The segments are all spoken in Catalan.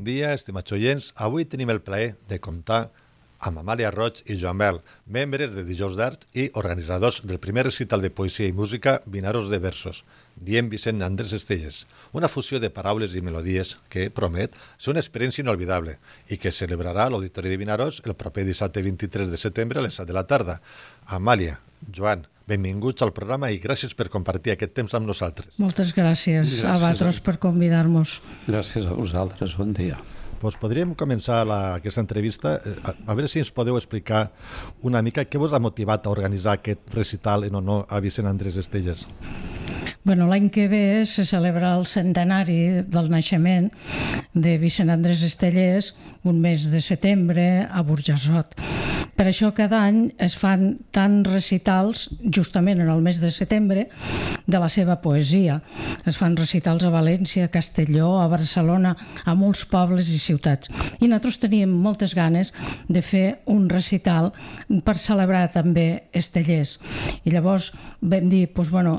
dia, estimats oients. Avui tenim el plaer de comptar amb Amàlia Roig i Joan Bel, membres de Dijous d'Art i organitzadors del primer recital de poesia i música Vinaros de Versos, dient Vicent Andrés Estelles, una fusió de paraules i melodies que promet ser una experiència inolvidable i que celebrarà a l'Auditori de Vinaros el proper dissabte 23 de setembre a les 7 de la tarda. Amàlia, Joan, benvinguts al programa i gràcies per compartir aquest temps amb nosaltres. Moltes gràcies a vosaltres per convidar-nos. Gràcies a vosaltres, bon dia. Doncs podríem començar aquesta entrevista. A veure si ens podeu explicar una mica què vos ha motivat a organitzar aquest recital en honor a Vicent Andrés Estelles. Bueno, l'any que ve se celebra el centenari del naixement de Vicent Andrés Estelles, un mes de setembre a Burjassot. Per això cada any es fan tants recitals, justament en el mes de setembre, de la seva poesia. Es fan recitals a València, a Castelló, a Barcelona, a molts pobles i ciutats. I nosaltres teníem moltes ganes de fer un recital per celebrar també Estelles. I llavors vam dir,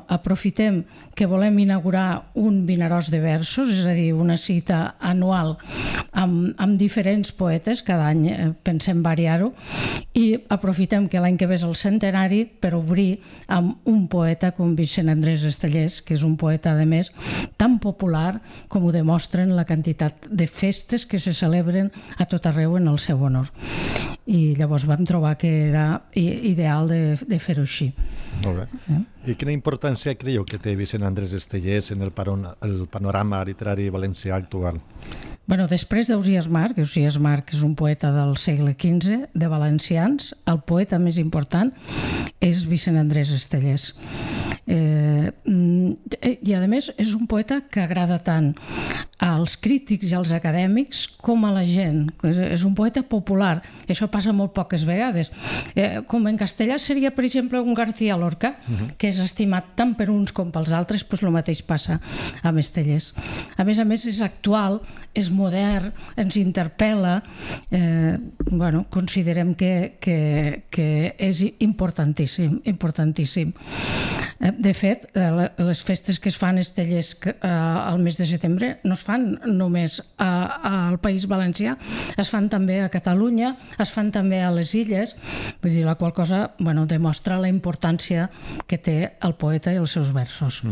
aprofitem que volem inaugurar un Vinaròs de Versos, és a dir, una cita anual amb diferents poetes, cada any pensem variar-ho, i aprofitem que l'any que ve és el centenari per obrir amb un poeta com Vicent Andrés Estelles, que és un poeta, a més, tan popular com ho demostren la quantitat de festes que se celebren a tot arreu en el seu honor. I llavors vam trobar que era ideal de fer-ho així. Molt bé. I quina importància creieu que té Vicent Andrés Estelles en el panorama literari valencià actual? Després d'Ausiàs March és un poeta del segle XV, de valencians, el poeta més important és Vicent Andrés Estelles. I a més és un poeta que agrada tant als crítics i als acadèmics com a la gent. És un poeta popular, i això passa molt poques vegades. Com en castellà seria, per exemple, un García Lorca, que és estimat tant per uns com pels altres, doncs el mateix passa amb Estelles. A més, és actual, és modern, ens interpel·la, considerem que és importantíssim, importantíssim. De fet, les festes que es fan a Estelles al mes de setembre no es fan només al País Valencià, es fan també a Catalunya, es fan també a les Illes, vull dir, la qual cosa demostra la importància que té el poeta i els seus versos.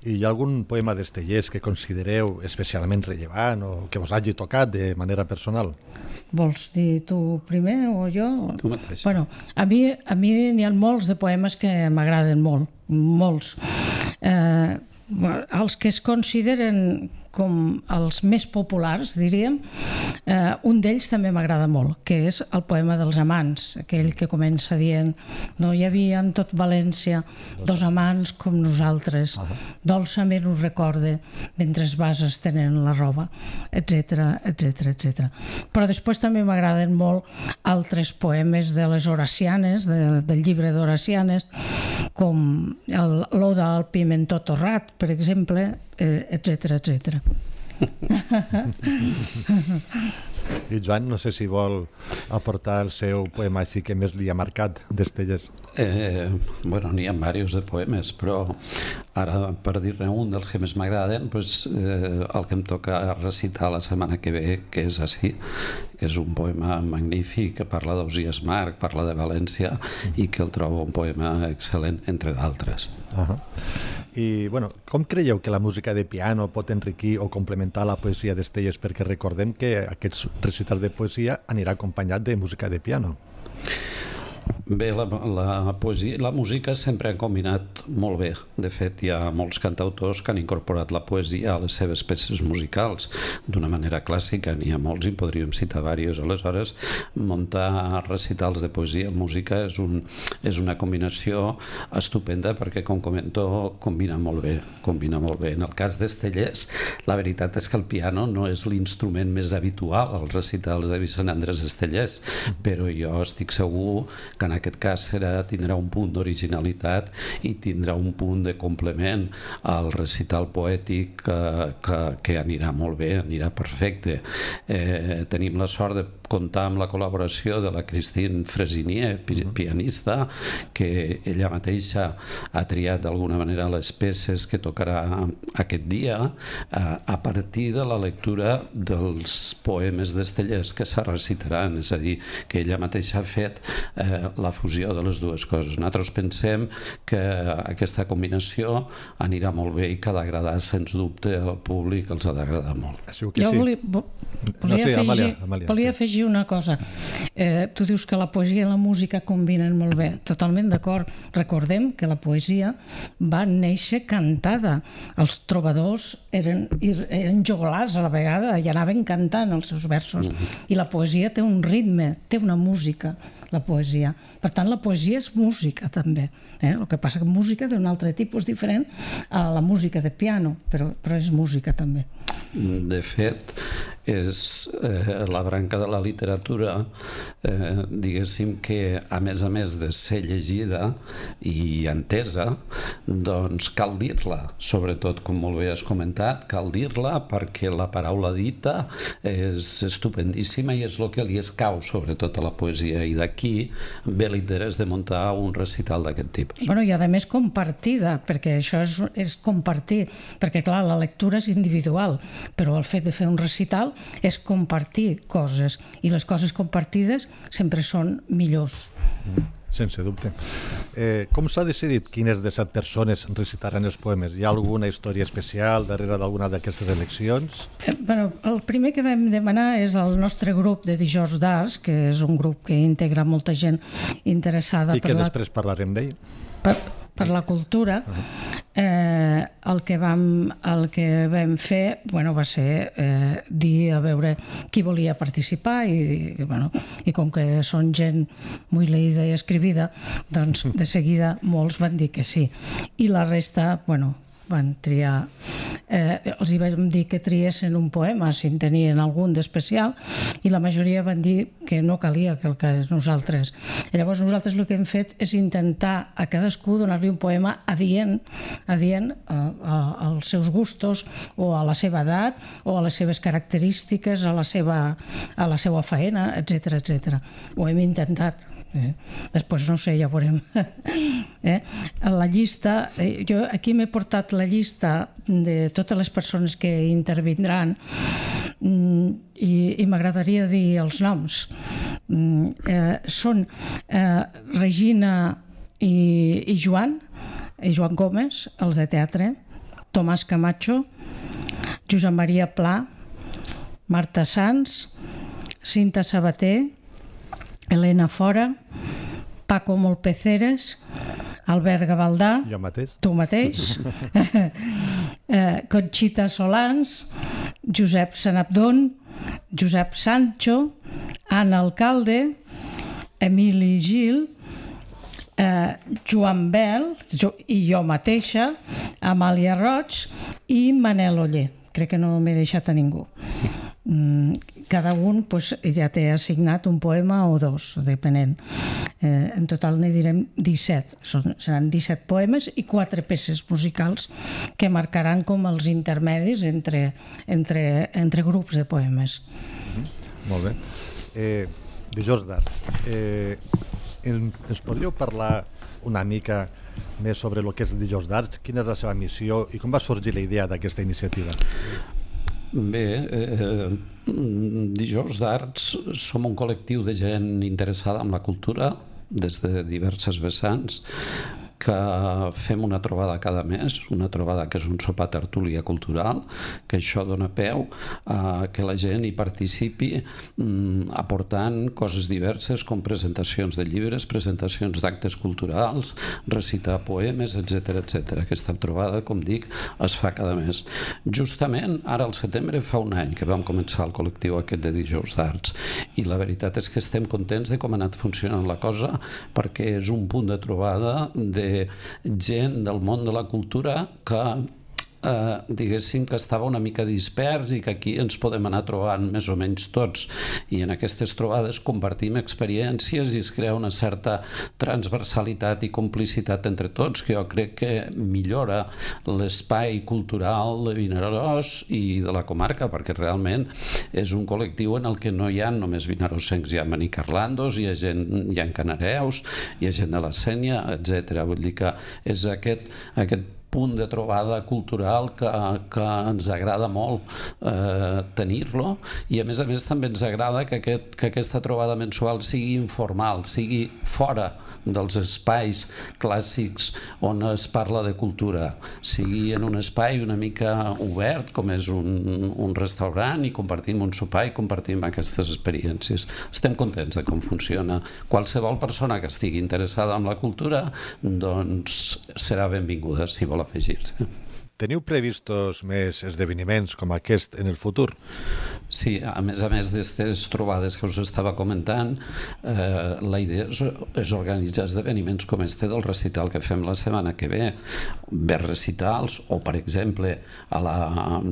I hi ha algun poema d'Estelles que considereu especialment rellevant o que vos hagi tocat de manera personal? Vols dir tu primer o jo? Tu mateix. A mi n'hi ha molts de poemes que m'agraden molt, molts. Els que es consideren com els més populars, diríem, un d'ells també m'agrada molt, que és el poema dels amants, aquell que comença dient: no hi havia en tot València dos amants com nosaltres, dolçament us recorde mentre vas estenent la roba, etc, etc, etc. Però després també m'agraden molt altres poemes de les Horacianes, del llibre d'Horacianes, com l'Oda al pimentó torrat, per exemple, etc, etc. I Joan, no sé si vol aportar el seu poema així que més li ha marcat d'Estelles. N'hi ha diversos de poemes, però ara, per dir-ne un dels que més m'agraden, el que em toca recitar la setmana que ve, que és així, que és un poema magnífic, que parla d'Ausiàs March, parla de València, i que el trobo un poema excel·lent, entre d'altres. I, com creieu que la música de piano pot enriquir o complementar la poesia d'Estelles? Perquè recordem que aquests recitals de poesia anirà acompanyat de música de piano. Bé, la poesia i la música sempre han combinat molt bé. De fet, hi ha molts cantautors que han incorporat la poesia a les seves peces musicals d'una manera clàssica. N'hi ha molts i podríem citar diversos. Aleshores, muntar recitals de poesia i música és una combinació estupenda perquè, com comento, combina molt bé. En el cas d'Estelles, la veritat és que el piano no és l'instrument més habitual als recitals de Vicent Andrés Estelles, però jo estic segur que en aquest cas tindrà un punt d'originalitat i tindrà un punt de complement al recital poètic que anirà molt bé, anirà perfecte. Tenim la sort de comptar amb la col·laboració de la Christine Fresinier, pianista, que ella mateixa ha triat d'alguna manera les peces que tocarà aquest dia a partir de la lectura dels poemes d'Estellés que se recitaran, és a dir, que ella mateixa ha fet la fusió de les dues coses. Nosaltres pensem que aquesta combinació anirà molt bé i que ha d'agradar, sens dubte, al públic els ha d'agradar molt. Jo volia afegir una cosa. Tu dius que la poesia i la música combinen molt bé. Totalment d'acord. Recordem que la poesia va néixer cantada. Els trobadors eren joglars a la vegada i anaven cantant els seus versos. I la poesia té un ritme, té una música, la poesia. Per tant, la poesia és música també. El que passa que música d'un altre tipus diferent a la música de piano, però és música també. De fet, és la branca de la literatura, diguéssim que a més de ser llegida i entesa, doncs cal dir-la, sobretot, com molt bé has comentat, cal dir-la perquè la paraula dita és estupendíssima i és el que li escau sobretot a la poesia, i d'aquí ve l'interès de muntar un recital d'aquest tipus. Bueno, i a més compartida, perquè això és compartir, perquè clar, la lectura és individual, però el fet de fer un recital és compartir coses, i les coses compartides sempre són millors. Sense dubte. Com s'ha decidit quines de 7 persones recitaran els poemes? Hi ha alguna història especial darrere d'alguna d'aquestes eleccions? El primer que vam demanar és el nostre grup de Dijous d'Arts, que és un grup que integra molta gent interessada i que després parlarem d'ell. Per la cultura. El que vam fer va ser dir a veure qui volia participar i com que són gent molt leïda i escrivida, doncs de seguida molts van dir que sí. I la resta, van triar, els hi vam dir que triessin un poema si en tenien algun d'especial, i la majoria van dir que no calia que nosaltres. I llavors nosaltres el que hem fet és intentar a cadascú donar-li un poema adient als seus gustos o a la seva edat o a les seves característiques, a la seva faena, etc. Ho hem intentat. Després no sé, ja veurem. La llista, jo aquí m'he portat la llista de totes les persones que intervindran i m'agradaria dir els noms. Són Regina i Joan Gómez, els de teatre, Tomàs Camacho, Josep Maria Pla, Marta Sans, Cinta Sabater, Helena Fora, Paco Molpeceres, Albert Gavaldà, jo mateix, tu mateix, Conxita Solans, Josep Sanabdon, Josep Sancho, Anna Alcalde, Emili Gil, Joan Bel i jo mateixa, Amàlia Roig i Manel Oller. Crec que no m'he deixat a ningú. Cada un ja té assignat un poema o dos, depenent. En total n'hi direm 17. Seran 17 poemes i 4 peces musicals que marcaran com els intermedis entre grups de poemes. Molt bé. Dijous d'Arts. Ens podríeu parlar una mica més sobre el que és Dijous d'Arts? Quina és la seva missió i com va sorgir la idea d'aquesta iniciativa? Bé, Dijous d'Arts som un col·lectiu de gent interessada en la cultura des de diverses vessants, que fem una trobada cada mes, una trobada que és un sopar tertúlia cultural, que això dona peu a que la gent hi participi aportant coses diverses com presentacions de llibres, presentacions d'actes culturals, recitar poemes, etc. Aquesta trobada, com dic, es fa cada mes. Justament ara al setembre fa un any que vam començar el col·lectiu aquest de Dijous d'Arts, i la veritat és que estem contents de com ha anat funcionant la cosa, perquè és un punt de trobada de gent del món de la cultura que diguéssim que estava una mica dispers i que aquí ens podem anar trobant més o menys tots, i en aquestes trobades compartim experiències i es crea una certa transversalitat i complicitat entre tots, que jo crec que millora l'espai cultural de Vinaròs i de la comarca, perquè realment és un col·lectiu en el que no hi ha només vinarossencs, hi ha manicarlandos, hi ha canareus, hi ha gent de la Sénia, etc. Vull dir que és aquest punt de trobada cultural que ens agrada molt tenir-lo, i a més també ens agrada que aquesta trobada mensual sigui informal, sigui fora dels espais clàssics on es parla de cultura, sigui en un espai una mica obert com és un restaurant, i compartim un sopar i compartim aquestes experiències. Estem contents de com funciona. Qualsevol persona que estigui interessada en la cultura doncs serà benvinguda si vol afegir-se. Teniu previstos més esdeveniments com aquest en el futur? Sí, a més d'aquestes trobades que us estava comentant, la idea és organitzar esdeveniments com este del recital que fem la setmana que ve, recitals, o per exemple a la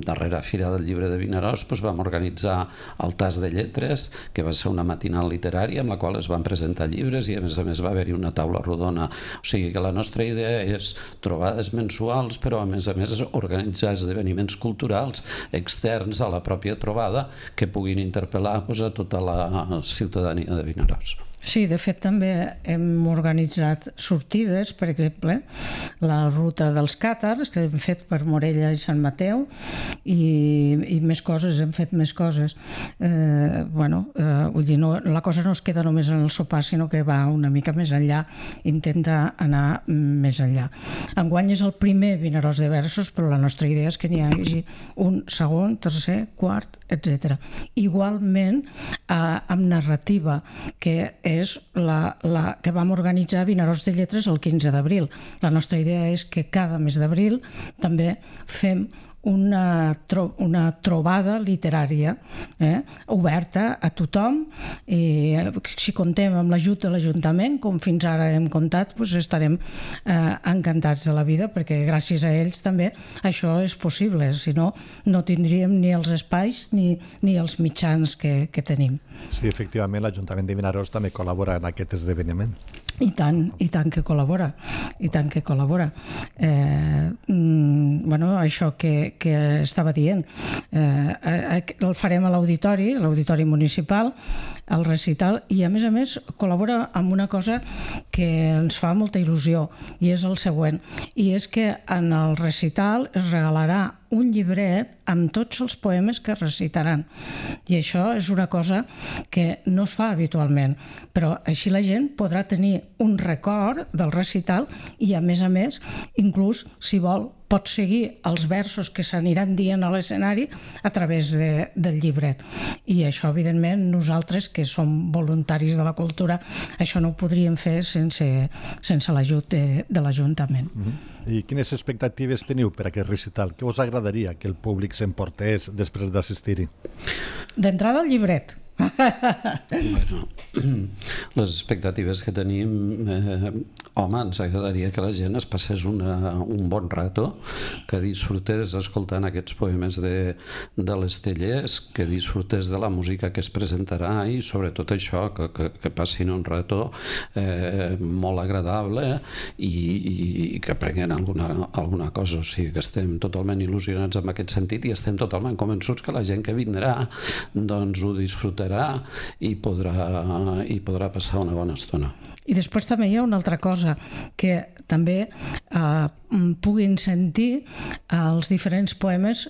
darrera Fira del Llibre de Vinaròs vam organitzar el Tas de Lletres, que va ser una matinal literària en la qual es van presentar llibres i a més va haver-hi una taula rodona. O sigui que la nostra idea és trobades mensuals, però a més organitzar esdeveniments culturals externs a la pròpia trobada que puguin interpel·lar a tota la ciutadania de Vinaròs. Sí, de fet també hem organitzat sortides, per exemple, la ruta dels càtars, que hem fet per Morella i Sant Mateu, i més coses, hem fet més coses. Vull dir, la cosa no es queda només en el sopar, sinó que va una mica més enllà, intenta anar més enllà. Enguany és el primer Vinaròs de versos, però la nostra idea és que n'hi hagi un segon, tercer, quart, etc. Igualment, amb narrativa, que és la que vam organitzar a Vinaròs de Lletres el 15 d'abril. La nostra idea és que cada mes d'abril també fem una trobada literària oberta a tothom, i si comptem amb l'ajut de l'Ajuntament, com fins ara hem comptat, estarem encantats de la vida, perquè gràcies a ells també això és possible, si no, no tindríem ni els espais ni els mitjans que tenim. Sí, efectivament, l'Ajuntament de Vinaròs també col·labora en aquest esdeveniment. I tant que col·labora, això que estava dient, el farem a l'auditori municipal, el recital, i a més col·labora amb una cosa que ens fa molta il·lusió, i és el següent, i és que en el recital es regalarà un llibret amb tots els poemes que recitaran. I això és una cosa que no es fa habitualment, però així la gent podrà tenir un record del recital i, a més, inclús, si vol, pot seguir els versos que s'aniran dient a l'escenari a través del llibret. I això, evidentment, nosaltres, que som voluntaris de la cultura, això no ho podríem fer sense l'ajut de l'Ajuntament. I quines expectatives teniu per aquest recital? Què us agradaria que el públic s'emportés després d'assistir-hi? D'entrada, el llibret. Bueno, les expectatives que tenim, ens agradaria que la gent es passés un bon rato, que disfrutés escoltant aquests poemes de l'Estellers, que disfrutés de la música que es presentarà i sobretot això, que passin un rato molt agradable i que aprenguin alguna cosa. O sigui que estem totalment il·lusionats en aquest sentit i estem totalment convençuts que la gent que vindrà doncs ho disfrutarà i podrà passar una bona estona. I després també hi ha una altra cosa, que també puguin sentir els diferents poemes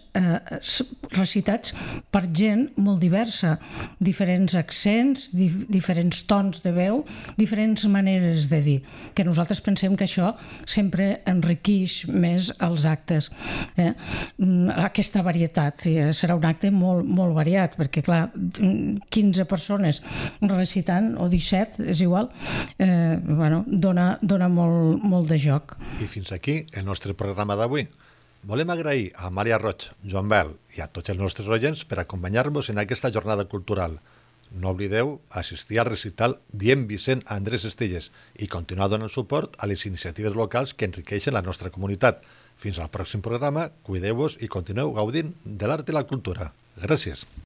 recitats per gent molt diversa, diferents accents, diferents tons de veu, diferents maneres de dir, que nosaltres pensem que això sempre enriqueix més els actes. Aquesta varietat, serà un acte molt, molt variat, perquè clar, 15 persones recitant, o 17, és igual, dona molt de joc. I fins aquí el nostre programa d'avui. Volem agrair a Maria Roig, Joan Bel i a tots els nostres oients per acompanyar-vos en aquesta jornada cultural. no oblideu assistir al recital Diem Vicent Andrés Estelles i continuar donant suport a les iniciatives locals que enriqueixen la nostra comunitat. Fins al pròxim programa, cuideu-vos i continueu gaudint de l'art i la cultura. Gràcies.